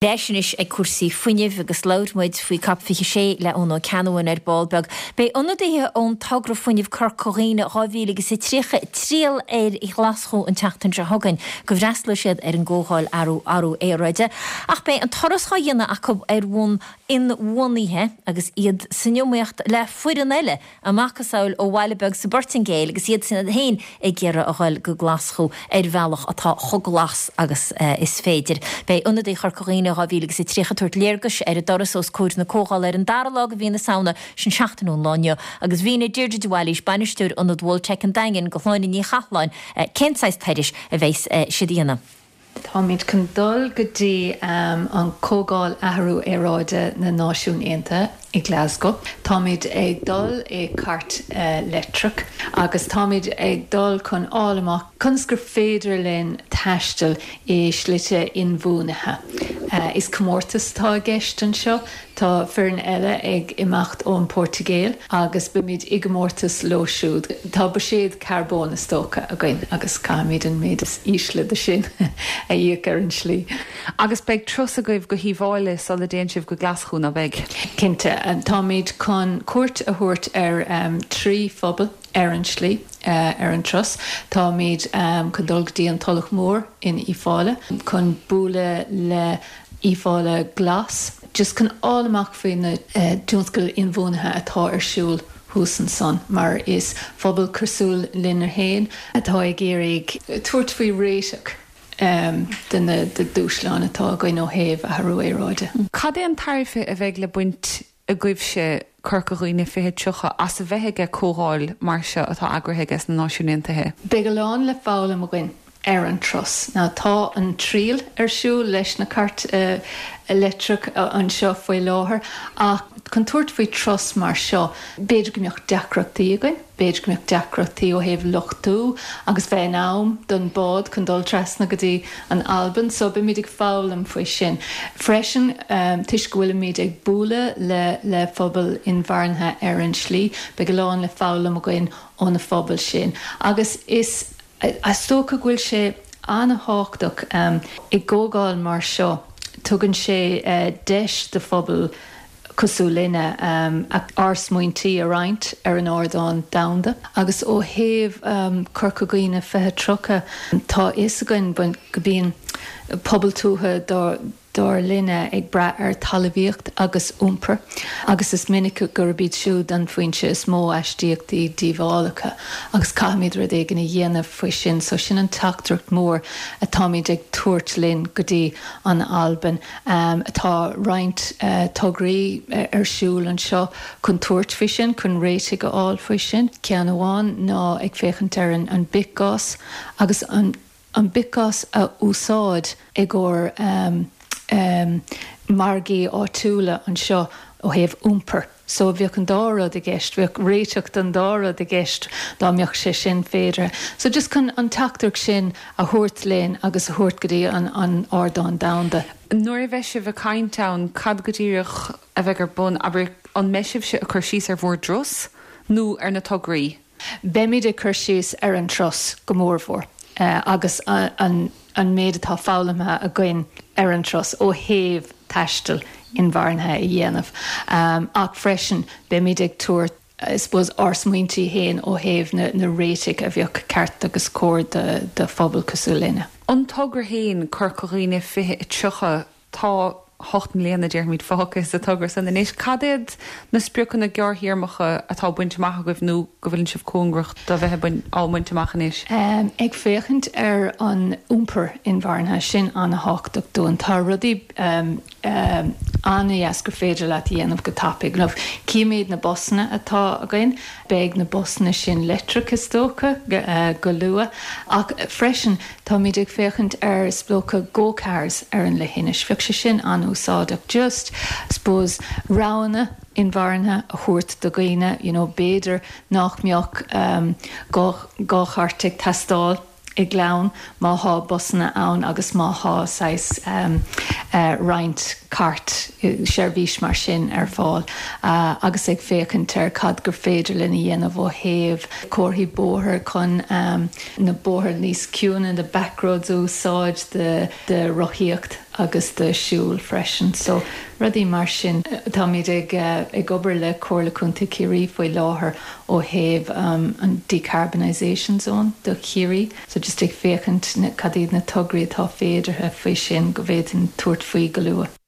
Leis anois ag cúrsaí fuinnimh agus labhair muid faoi Cop 26 le Eoin Ó Ceannabháin ar ball beag. Beidh ionadaithe ón togra fuinnimh Corca Dhuibhne 2030 ag triall ar Ghlaschú an tseachtain seo chugainn go bhfreastalóidh siad ar an gcomhdháil athrú aeráide. Ach beidh an turas dhá dhéanamh acu ar bhonn inbhuanaithe agus iad san iomaíocht le foireann eile A macasamhail ó bhaile beag sa bPortaingéil agus iad féin ag iarraidh a ghoil go Glaschú ar bhealach atá chomh glas agus is féidir. Beidh ionadaithe Chorca Dhuibhne 2030 ag tabhairt léargais ar a dturas os comhair na comhdhála ar an dara lá de mhí na Samhna, sin seachtain ón lá inniu, agus mhínigh Deirdre de Bhailís, Bainisteoir Ionad Voltec an Daingin, do Shláine Ní Chathalláin cén saghas turais a bheas siad a dhéanamh. Táimid chun dul go dtí an Comhdháil Athrú Aeráide na Náisiún Aontaithe i Glasgow. Táimid ag dul i cairt leictreach agus táimid ag dul chun fháil amach conas gur féidir linn taisteal i slite inbhuanaithe. Is comórtas atá i gceist anseo. Tá foireann eile ag imeacht ón Portaingéil agus beimid i gcomórtas leo siúd. Tá buiséad carbóin is dócha againn agus caithfimid an méid is ísle de sin a íoc ar an slí. Agus beidh turas agaibh go hUíbh Fhailí sula dtéann sibh go Glaschú, ná beidh? Cinnte. Táimid chun cuairt a thabhairt ar thrí phobal ar an slí, ar an turas. Táimid chun dul go dtí an Tulach Mhór in Uíbh Fhailí chun bualadh le Uíbh Fhailí Glas, just chun fháil amach faoi na tionscail inbhuanaithe atá ar siúl thuas ansan, mar is phobal cosúil linne féin atá ag iarraidh tabhairt faoi réiteach de na dúshláin atá againn ó thaobh athrú aeráide. Cad é an tairbhe a bheidh le baint agaibhse, Corca Dhuibhne 2030, as a bheith ag comhdháil mar seo atá eagraithe aige sna Náisiúin Aontaithe? Beidh a lán le foghlaim againn ar an turas. Now tá an triail ar siúl leis na cairt leictreach anseo faoi láthair ach chun tabhairt faoi turas mar seo b'fhéidir go mbeadh deacrachtaí againn, b'fhéidir go mbeadh deacrachtaí ó thaobh luchtú agus bheith in am don bád chun dul trasna go dtí an Albain so beimid ag foghlaim faoi sin. Freisin toisc go bhfuilimid ag bualadh le le phobail inmharthana ar an slí beidh a lán le foghlaim againn ó na phobail sin agus is Is dócha go bhfuil sé an-thábhachtach i gcomhdháil mar seo, tugann sé deis do phobal cosúil linne ár smaointí a roinnt ar an ardán domhanda. Agus ó thaobh Corca Dhuibhne 2030, tá a fhios againn go mbíonn pobal tuaithe dár linne ag brath ar talmhaíocht agus iompar, agus is minic gurb iad siúd an foinse is mó aistíochtaí díobhálacha, agus caithfimid rud éigin a dhéanamh faoi sin. So sin an teachtaireacht mór atáimid ag tabhairt linn go dtí an Albain. Tá roinnt tograí ar siúl anseo chun tabhairt faoi sin, chun réitigh a fháil faoi sin. Ceann amháin ná ag féachaint ar an bithghás agus an. an bithghás a úsáid i gcomhair margaí áitiúla anseo ó thaobh iompair. So bheadh an dá rud i gceist, bheadh réiteach don dá rud i gceist dá mbeadh sé sin féideartha. So just chun an teachtaireacht sin a thabhairt linn agus a thabhairt go dtí an ardán domhanda. Nuair a bheidh sibh ag caint ann, cad go díreach a bheidh ar bun? Abair, an mbeidh sibhse ag cur síos ar bhur dturas nó ar na tograí? Beimid ag cur síos ar an turas go mórmhór agus an méid atá foghlamtha againn ar an turas ó thaobh taisteal inmharthana a dhéanamh ach freisin beimid ag tabhairt I suppose ár smaointí féin ó thaobh na réitigh a bheadh ceart agus cóir do phobal cosúil linne. An togra féin, Corca Dhuibhne 2030, Tá 8 mbliana, déarfaimid, fágtha sa togra san anois. Cad iad na spriocanna gearrthéarmacha atá bainte amach agaibh nó go bhfuileann sibh cóngarach do bheith á mbaint amach anois? Ag féachaint ar an iompar inmharthana, sin an-thábhachtach dúinn. Tá rudaí an-dheas gur féidir leat a dhéanamh go tapaidh. Címid na busanna atá againn. Beidh na busanna sin leictreach is dócha go luath. Ach freisin táimid ag féachaint ar is dócha go cars ar an leithinis. Bheadh sé sin an-úsáideach. Just, I suppose, roghanna inmharthana a thabhairt do dhaoine, you know, b'fhéidir nach mbeadh dhá chairt ag teastáil i gclann má thá busanna ann agus má thá saghas roinnt cairt. seirbhís mar sin ar fáil agus ag féachaint ar cad gur féidir linn a dhéanamh ó thaobh comharthaí bóthair chun na bóithre níos ciúine, na backroads a úsáid do rothaíocht agus do siúl freisin. So rudaí mar sin. Táimid ag ag obair le Comhairle Contae Chiarraí faoi láthair ó thaobh an decarbonisation zone do Chiarraí. So just ag féachaint cad iad na tograí atá féideartha faoi sin go bhféadfainn tabhairt faoi go luath.